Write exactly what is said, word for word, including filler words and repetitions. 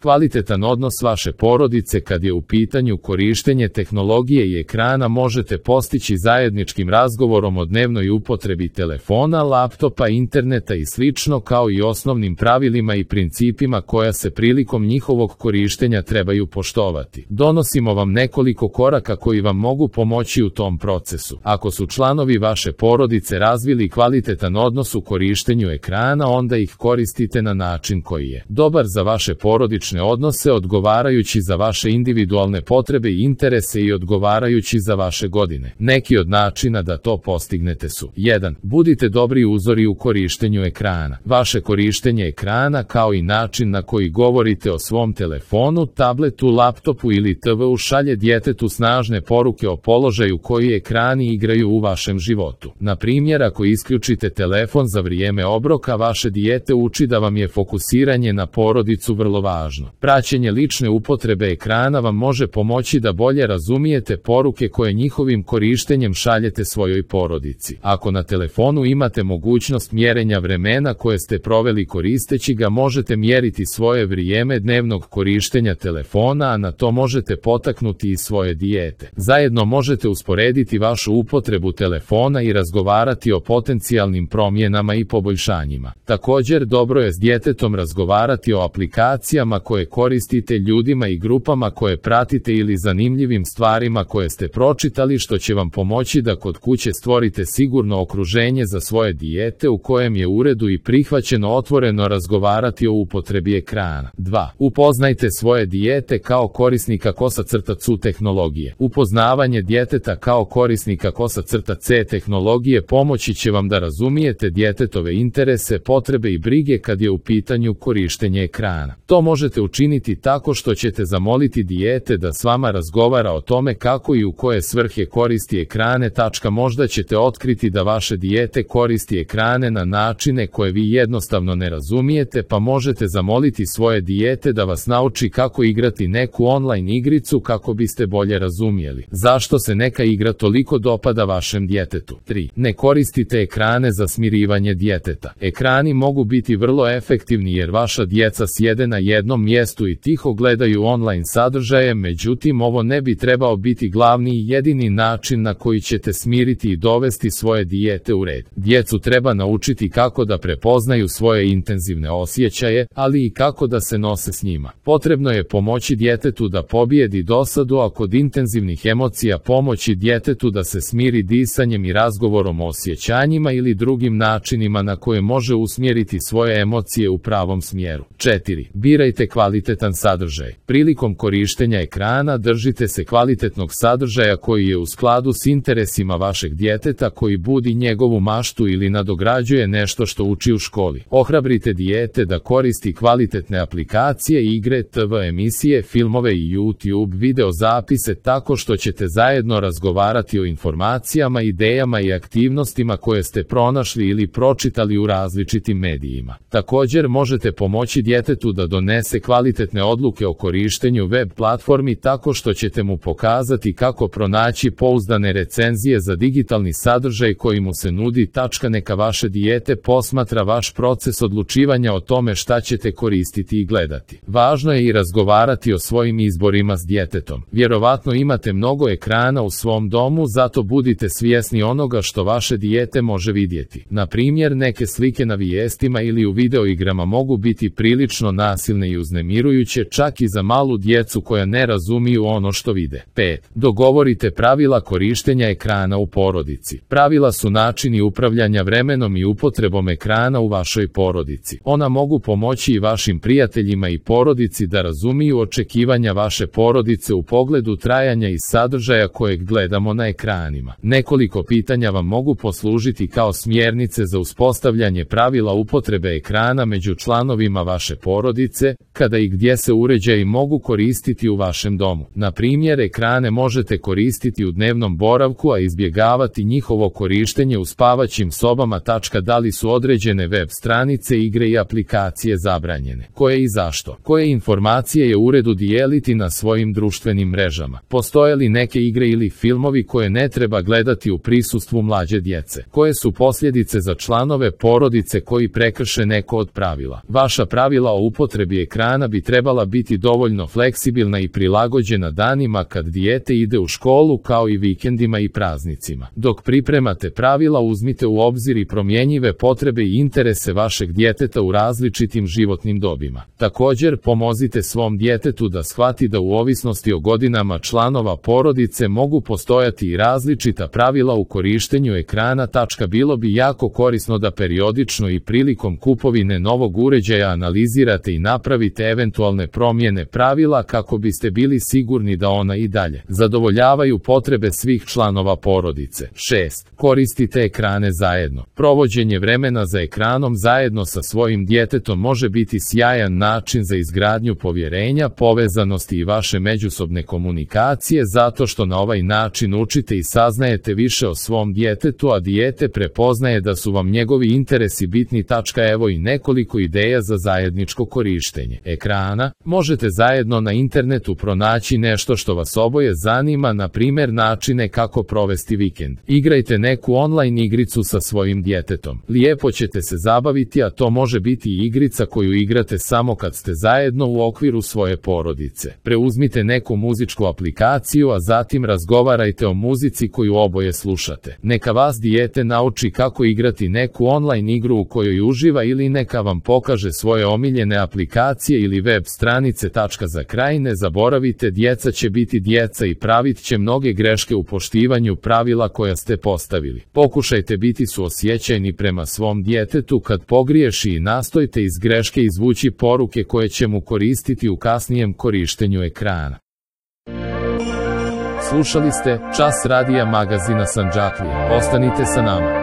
Kvalitetan odnos vaše porodice kad je u pitanju korištenje tehnologije i ekrana možete postići zajedničkim razgovorom o dnevnoj upotrebi telefona, laptopa, interneta i slično, kao i osnovnim pravilima i principima koja se prilikom njihovog korištenja trebaju poštovati. Donosimo vam nekoliko koraka koji vam mogu pomoći u tom procesu. Ako su članovi vaše porodice razvili kvalitetan odnos u korištenju ekrana, onda ih koristite na način koji je dobar za vaše porodične odnose, odgovarajući za vaše individualne potrebe i interese i odgovarajući za vaše godine. Neki od načina da to postignete su: jedan. Budite dobri uzori u korištenju ekrana. Vaše korištenje ekrana, kao i način na koji govorite o svom telefonu, tabletu, laptopu ili te veu, šalje djetetu snažne poruke o položaju koji ekrani igraju u vašem životu. Na primjer, ako isključite telefon za vrijeme obroka, vaše dijete uči da vam je fokusiranje na porodicu vrlo važno. Praćenje lične upotrebe ekrana vam može pomoći da bolje razumijete poruke koje njihovim korištenjem šaljete svojoj porodici. Ako na telefonu imate mogućnost mjerenja vremena koje ste proveli koristeći ga, možete mjeriti svoje vrijeme dnevnog korištenja telefona, a na to možete potaknuti i svoje dijete. Zajedno možete usporediti vašu upotrebu telefona i razgovarati o potencijalnim promjenama i poboljšanjima. Također, dobro je s djetetom razgovarati o aplikacijama koje koristite, ljudima i grupama koje pratite ili zanimljivim stvarima koje ste pročitali, što će vam pomoći da kod kuće stvorite sigurno okruženje za svoje dijete u kojem je u redu i prihvaćeno otvoreno razgovarati o upotrebi ekrana. dva. Upoznajte svoje dijete kao korisnika kosa crta cu tehnologije. Upoznavanje djeteta kao korisnika kosa crta ce tehnologije pomoći će vam da razumijete djetetove interese, potrebe i brige kad je u pitanju korištenje ekrana. To možete učiniti tako što ćete zamoliti dijete da s vama razgovara o tome kako i u koje svrhe koristi ekrane. Tačka. Možda ćete otkriti da vaše dijete koristi ekrane na načine koje vi jednostavno ne razumijete, pa možete zamoliti svoje dijete da vas nauči kako igrati neku online igricu kako biste bolje razumjeli zašto se neka igra toliko dopada vašem djetetu. tri. Ne koristite ekrane za smirivanje djeteta. Ekrani mogu biti vrlo efektivni jer vaša djeca sjede na jednom mjestu i tiho gledaju online sadržaje, međutim ovo ne bi trebao biti glavni i jedini način na koji ćete smiriti i dovesti svoje dijete u red. Djecu treba naučiti kako da prepoznaju svoje intenzivne osjećaje, ali i kako da se nose s njima. Potrebno je pomoći djetetu da pobijedi dosadu, a kod intenzivnih emocija pomoći djetetu da se smiri disanjem i razgovorom o osjećanjima ili drugim načinima na koje može usmjeriti svoje emocije u pravom smjeru. četiri. Birajte kvalitetan sadržaj. Prilikom korištenja ekrana držite se kvalitetnog sadržaja koji je u skladu s interesima vašeg djeteta, koji budi njegovu maštu ili nadograđuje nešto što uči u školi. Ohrabrite dijete da koristi kvalitetne aplikacije, igre, te ve emisije, filmove i YouTube video zapise tako što ćete zajedno razgovarati o informacijama, idejama i aktivnostima koje ste pronašli ili pročitali u različitim medijima. Također možete pomoći djetetu da donese kvalitetne odluke o korištenju web platformi tako što ćete mu pokazati kako pronaći pouzdane recenzije za digitalni sadržaj koji mu se nudi. Tačka. Neka vaše dijete posmatra vaš proces odlučivanja o tome šta ćete koristiti i gledati. Važno je i razgovarati o svojim izborima s djetetom. Vjerovatno imate mnogo ekrana u svom domu, zato budite svjesni onoga što vaše dijete može vidjeti. Na primjer, neke slike na vijestima ili u videoigrama mogu biti prilično nasilne i uznemirujuće, čak i za malu djecu koja ne razumiju ono što vide. pet. Dogovorite pravila korištenja ekrana u porodici. Pravila su načini upravljanja vremenom i upotrebom ekrana u vašoj porodici. Ona mogu pomoći i vašim prijateljima i porodici da razumiju očekivanja vaše porodice u pogledu trajanja i sadržaja kojeg gledamo na ekranima. Nekoliko pitanja vam mogu poslužiti kao smjernice za uspostavljanje pravila upotrebe ekrana među članovima vaše porodice, kada i gdje se uređaji mogu koristiti u vašem domu. Na primjer, ekrane možete koristiti u dnevnom boravku, a izbjegavati njihovo korištenje u spavaćim sobama. Da li su određene web stranice, igre i aplikacije zabranjene? Koje i zašto? Koje informacije je u redu dijeliti na svojim društvenim mrežama? Postoje li neke igre ili filmovi koje ne treba gledati u prisustvu mlađe djece? Koje su posljedice za članove porodice koji prekrše neko od pravila? Vaša pravila o upotrebi ekrana ekrana bi trebala biti dovoljno fleksibilna i prilagođena danima kad dijete ide u školu, kao i vikendima i praznicima. Dok pripremate pravila, uzmite u obzir i promjenjive potrebe i interese vašeg djeteta u različitim životnim dobima. Također, pomozite svom djetetu da shvati da u ovisnosti o godinama članova porodice mogu postojati i različita pravila u korištenju ekrana. Bilo bi jako korisno da periodično i prilikom kupovine novog uređaja analizirate i napravite eventualne promjene pravila kako biste bili sigurni da ona i dalje zadovoljavaju potrebe svih članova porodice. šest. Koristite ekrane zajedno. Provođenje vremena za ekranom zajedno sa svojim djetetom može biti sjajan način za izgradnju povjerenja, povezanosti i vaše međusobne komunikacije, zato što na ovaj način učite i saznajete više o svom djetetu, a dijete prepoznaje da su vam njegovi interesi bitni. Evo i nekoliko ideja za zajedničko korištenje ekrana. Možete zajedno na internetu pronaći nešto što vas oboje zanima, na primjer načine kako provesti vikend. Igrajte neku online igricu sa svojim djetetom. Lijepo ćete se zabaviti, a to može biti i igrica koju igrate samo kad ste zajedno u okviru svoje porodice. Preuzmite neku muzičku aplikaciju, a zatim razgovarajte o muzici koju oboje slušate. Neka vas dijete nauči kako igrati neku online igru u kojoj uživa, ili neka vam pokaže svoje omiljene aplikacije ili web stranice. Za kraj, ne zaboravite, djeca će biti djeca i pravit će mnoge greške u poštivanju pravila koja ste postavili. Pokušajte biti suosjećajni prema svom djetetu kad pogriješi i nastojte iz greške izvući poruke koje će mu koristiti u kasnijem korištenju ekrana. Slušali ste Čas radija magazina Sandžaklija. Ostanite sa nama.